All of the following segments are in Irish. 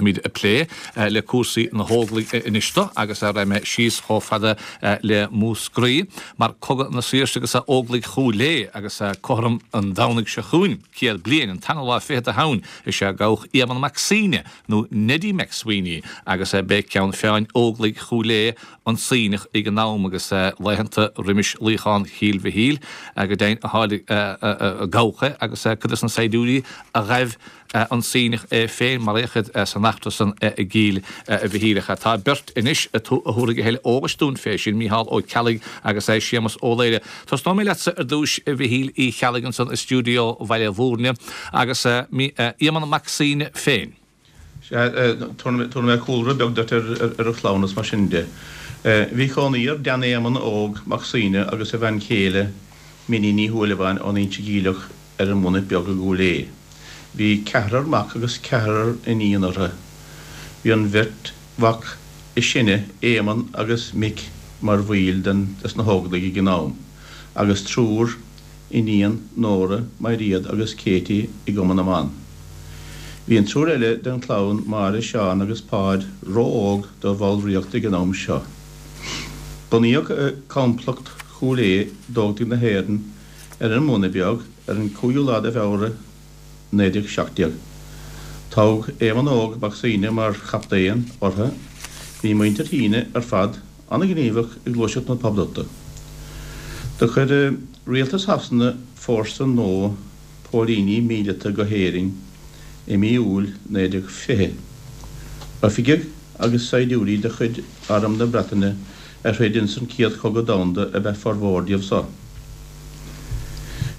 Déanfaimid plé le cúrsaí na hÓglaigh anois do agus raghaidh mé síos chomh fada le Múscraí mar Cogadh na Saoirse agus Óglaigh Chúil Aodha agus cothrom an Domhnaigh seo chugainn, 100 bliain, an tarna lá fichead de Shamhain, is ea gabhadh Éamonn Mac Suibhne, nó Neddy McSweeney, agus b'é ceann feadhain Óglaigh Chúil Aodha an Suibhneach ag an am agus laethanta roimis luíochán Chill Mhichíl go deimhin a gabhadh é agus cuid de na saighdiúirí a ghaibh an Suibhneach é féin maraíodh iad san eachtra san i gCill Mhichíl. Ach tá beirt anois a thabharfaidh a thuilleadh eolais dúinn fé sin, Mícheál Ó Ceallaigh agus Séamus Ó Laoire. Tosnóidh mé leatsa ar dtúis a Mhichíl Uí Cheallaigh ansan i stiúideo Bhaile Bhúirne agus Éamonn Mac Suibhne féin. Sea, tabharfaidh mé cúlra beag duit ar a chlann is mar sin de. Bhí cónaí ar Dan Éamonn Óg Mac Suibhne agus a bhean chéile, Minnie Ní Shúilleabháin ón Inse Geimhleach ar an mBunait Beag i gCúil Aodha. Bhí ceathrar mac agus ceathrar iníon orthu. Bhí an bheirt mhac is sine, Éamonn agus Mick, mar bhaill des na hÓglaigh ag an am, agus triúr iníon, Nóra, Mairéad agus Katie, i gCumann na mBan. Bhí an triúr eile den chlann, Máire, Seán agus Páid, ró-óg do bhallraíocht ag an am seo. Bunaíodh Complacht Chúil Aodha d'Óglaigh na hÉireann ar an mBuna Beag ar an 5ú lá de Feabhra 1917. Toghadh Éamonn Óg Mac Suibhne mar chaptaen orthu. Bhí muintir Shuibhne ar fad an-ghníomhach i ngluaiseacht na Poblachta. Do chuir Rialtas Shasana fórsa nua póilíní míleata go hÉirinn i mí Iúil 1920. Oifigigh agus saighdiúirí de chuid Arm na Breataine a throid ins an Chéad Chogadh Domhanda ab ea formhór díobh so.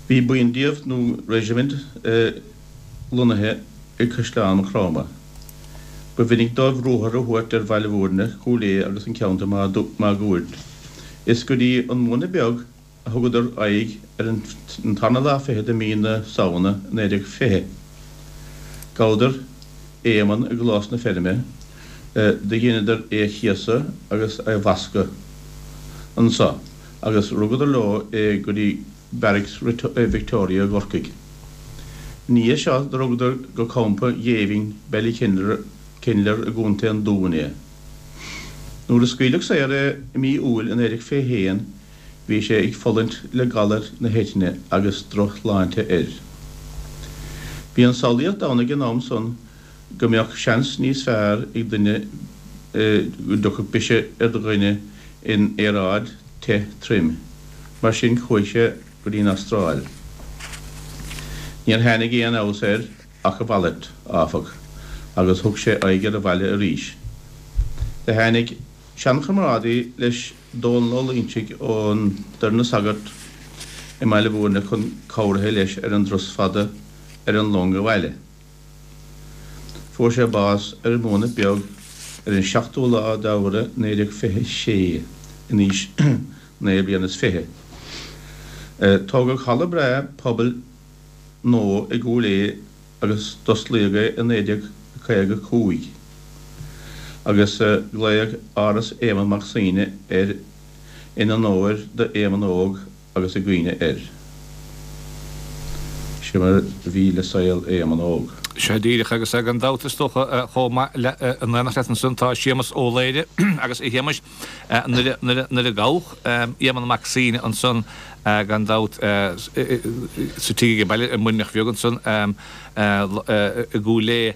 Bhí buíon díobh, nó reisimint, lonnaithe i gCaisleán Chromtha. Ba mhinic dóibh ruathar a thabhairt ar Bhaile Bhúirne, Cúil Aodha agus an ceantar máguaird. Is go dtí an Muna Beag a thugadar aghaidh ar an tarna lá fichead de mhí na Samhna 1920. Ghabhadar Éamonn i gclós na feirme, do dheineadar é a chéasadh agus a bhascadh anso agus rugadar leo é go dtí Barracks Victoria i gCorcaigh. Ina dhiaidh seo do rugadar go campa géibhinn Ballykinler i gContae an Dúin é. Nuair a scaoileadh saor é i mí Iúil 1921 bhí sé ag fulaingt le galar na heitinne agus drochshláinte air. Bhí an samhlaíocht ann ag an am san go mbeadh seans níos fearr ag duine go dtiocfadh biseach ar dhuine in aeráid te throm. Mar sin chuaigh sé go dtí an Astráil. Níor tháinig aon fheabhas air ach a mhalairt, áfach, agus thug sé aghaidh ar an bhaile arís. Do tháinig seanchomrádaí leis Dónall Ó Loingsigh ón Doire na Sagart i mBaile Bhúirne chun cabhraithe leis ar an dturas fada ar an long abhaile. Fuair sé bás ar an mBuanaic Beag ar an seachtú lá d'Fheabhra 1926 in aois naoi bliana is fiche. Tógadh halla breá pobail nua i gCúil Aodha agus d'osclaíodh é i 1955 agus glaodh Áras Éamonn Mac Suibhne air in onóir do Éamonn Óg agus i gcuimhne air. Sin mar a bhí le saol Éamonn Óg. Sea díreach, agus gan dabht is dócha chomh maith le in éineacht leat ansan tá Séamus Ó Laoire agus a Shéamais nuair a gabhadh Éamonn Mac Suibhne ansan gan dabht sa tigh ag baile i Muirneach Bheag ansan i gCúil Aodha.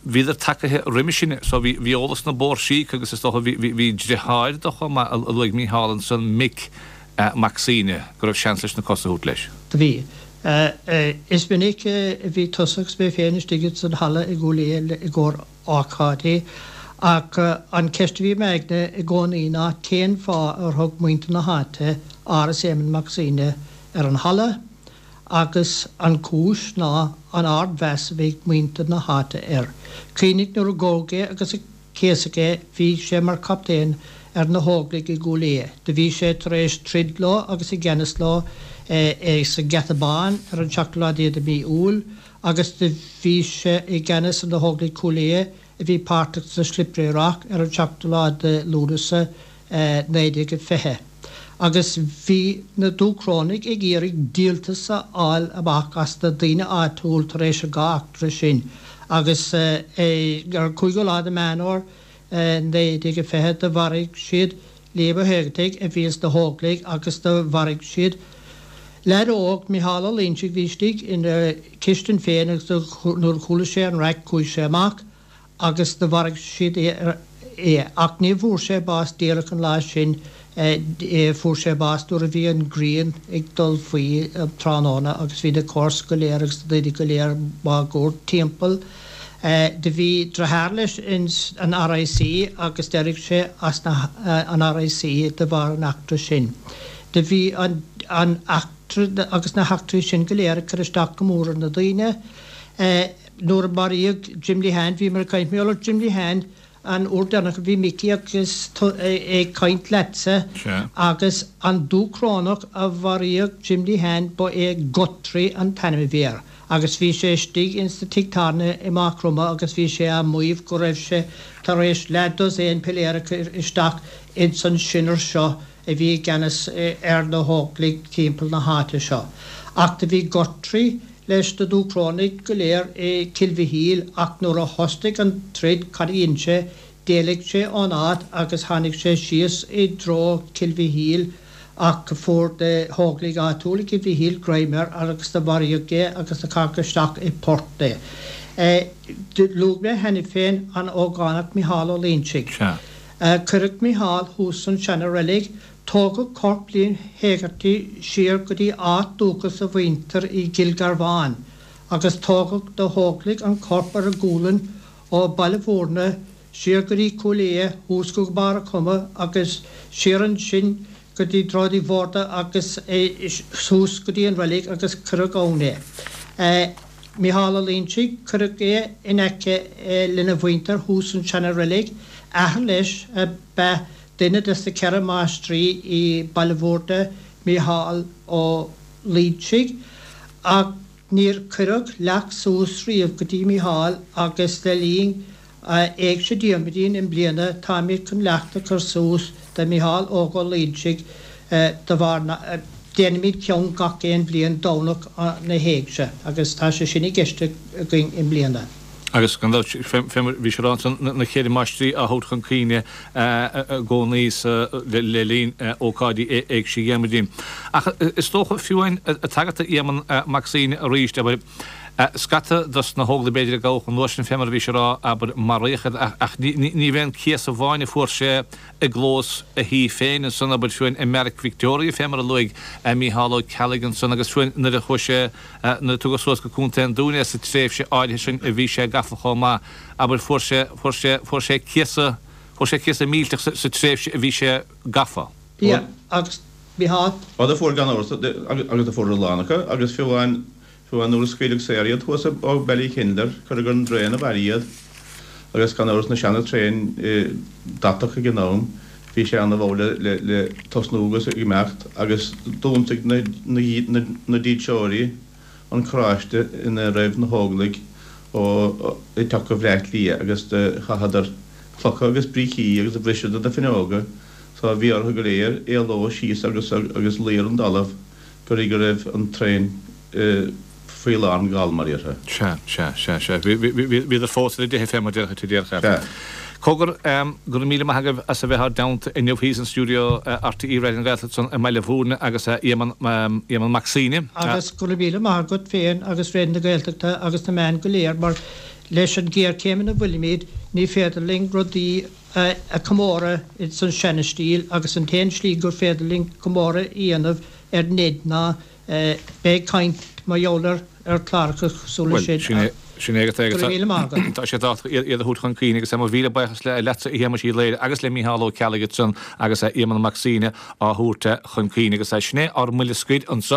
Bhíodar tagaithe roimis sin so bhí eolas na bpóirsí acu agus is dócha bhí driotháir dó chomh maith a luaigh Mícheál ansan Mick Mac Suibhne go raibh seans leis na cosa a thabhairt leis. Do bhí. Is minic a bhí tusa agus mé féin istigh ins an halla i gCúil Aodha i gcomhair ócáidí, ach an cheist a bhí i m'aigne i gcónaí ná cén fáth ar thug muintir na háite Áras Éamonn Mac Suibhne ar an halla agus an chúis ná an ard-mheas a bhí ag muintir na háite air. Cuimhnigh nuair a gabhadh é agus a céasadh é bhí sé mar chaptaen ar na hÓglaigh i gCúil Aodha. Do bhí sé tar éis troid leo agus i gceannas leo sa Gheata Bán ar an seachtú lá déag de mhí Iúil agus do bhí sé i gceannas ar na hÓglaigh Chúil Aodha a bhí páirteach sa Slippery Rock ar an seachtú lá de Lúnasa 1920. Agus bhí na Dúchrónaigh ag iarraidh díoltas a fháil amach as na daoine áitiúil tar éis an dhá eachtra sin. Agus ar an 5ú lá de Meán Fhómhair 1920 do mharaigh siad Liam Ó hÉigeartaigh a bhí ins na hÓglaigh agus do mharaigh siad leaid óg, Micheál Ó Loingsigh, bhí istigh ina chistin féin agus nuair a chuala sé an raic chuaigh sé amach agus do mharaigh siad é. Ach ní bhfuair sé bás díreach an lá sin, fuair sé bás nuair a bhí an ghrian ag dul faoi um tráthnóna agus bhí na comharsana go léir agus na daoine go léir máguaird timpeall. Do bhí deartháir leis ins an RIC agus d'éirigh sé as an RIC de bharr an eachtra sin. Do bhí an eachtra agus na heachtraí sin go léir ag cur isteach go mór ar na daoine. Nuair a maraíodh Jim Lehane, bhíomar ag caint mar gheall ar Jim Lehane an uair deireanach a bhí Micí agus tú ag caint leatsa agus an Dúchrónach a mharaíodh Jim Lehane ba é Guthrie an t-ainm a bhí air agus bhí sé istigh ins na tigh tábhairne i Maigh Chromtha agus bhí sé á maíomh go raibh sé tar éis leath dosaen piléar a chur isteach ins an sinner seo a bhí i gceannas ar na hÓglaigh timpeall na háite seo. Ach do bhí Guthrie leis na Dúchrónaigh go léir i Cill Mhichíl ach nuair a thosnaigh an troid cad a dhein sé, d'éalaigh sé ón áit agus tháinig sé síos i dtreo Cill Mhichíl ach fuair na hÓglaigh áitiúil i gCill Mhichíl greim air agus do mharaíodh é agus do caitheadh isteach i bport é. Luaigh mé cheana féin an ógánach Micheál Ó Loingsigh. Cuireadh Micheál thuas san seana-reilig Tógadh corp Liam Hegarty siar go dtí áit dúchas a mhuintir i gCill Garbháin agus tógadh na hÓglaigh an corp ar a gualainn ó Baile Mhúirne siar go dtí Cúil Aodha thuas go Barr a' Choma agus siar ansin go dtí Droichead Uí Mhórdha agus suas go dtí an reilig agus cuireadh ann é. Micheál Ó Loingsigh, cuireadh é in aice lena mhuintir thuas san seana-reilig. Athair leis ab ea Duine des na 4 máistrí i Baile Mhúirne, Mícheál Ó Loingsigh, ach níor cuireadh leacht suas riamh go dtí Mícheál agus le linn Éigse Diarmuidín i mbliana táimid chun leacht a chur suas do Mícheál Óg Ó Loingsigh de bharr na déanaimid ceann gach aon bhliain Domhnach na hÉigse agus tá sé sin i gceist againn i mbliana. Agus gan dabht, fé mar bhí sé ráite ansan, na cheithre máistrí á thabhairt chun cuimhne i gcónaí le linn ócáidí Éigse Dhiarmuidín. Ach is dócha, fiú amháin, ag tagairt do Éamonn Mac Suibhne arís, abair, scata dos na hÓglaigh b'fhéidir a gabhadh an uair sin, fé mar a bhí sé a rá, abair, maraíodh iad, ach ní bh'é an céas amháin a fuair sé i gclós a thí féin ansan, abair, fiú amháin i mBeairic Victoria, fé mar a luaigh Mícheál Ó Ceallaigh ansan, agus fiú amháin nuair a chuaigh sé, nuair a tugadh suas go Contae an Dúin é sa tréimhse áirithe sin a bhí sé gafa chomh maith, abair, fuair sé, fuair sé, fuair sé céasadh, fuair sé céasadh millteach sa tréimhse a bhí sé gafa. Yeah, agus Mícheál. Ó do fuair gan amhras, agus do fuair a lán acu, agus fiú amháin, fiú amháin nuair a scaoileadh saor iad thuas ó Ballykinler, cuireadh ar an dtraen abhaile iad, agus gan amhras na seana-traein deatach ag an am, bhí sé ana-mhall le le tosnú agus ag imeacht agus d'ionsaigh na na dílseoirí an carráiste ina raibh na hÓglaigh ó ag teacht go Bhleá Cliath agus do chaitheadar clocha agus brící agus do bhriseadar na fuinneoga so bhí orthu go léir éaló síos agus agus luí ar an dtalamh go dtí go raibh an traein faoi lán gal, mar a déarfá. Sea, sea, sea, sea. Bhíodar fós ar a dteitheadh fé mar déarfá, déarfá. Sea. Cogar, go raibh míle maith agaibh as a bheith ár dteannta inniu thíos in stiúideo RTÉ Raidió na Gaeltachta ansan i mBaile Mhúirne agus Éamonn, Éamonn Mac Suibhne. Agus go raibh míle maith agat féin agus Raidió na Gaeltachta agus na meáin go léir mar leis an ghéarchéim ina bhfuilimid ní féidir linn rudaí a chomóradh ins an seana-stíl agus an t-aon slí gur féidir linn comóradh a dhéanamh ar Ned ná bheith ag caint mar gheall air ar chláracha cosúil leis sin. Bhuel, sin é agat é. Go raibh míle maith agat. Tá sé tábhachtach iad a thabhairt chun cuimhne agus mo mhíle buíochas leatsa a Shéamais Uí Laoire agus le Mícheál Ó Ceallaigh ansan agus Éamonn Mac Suibhne á thabhairt chun cuimhne agus sin é ár mbuille scoir anseo.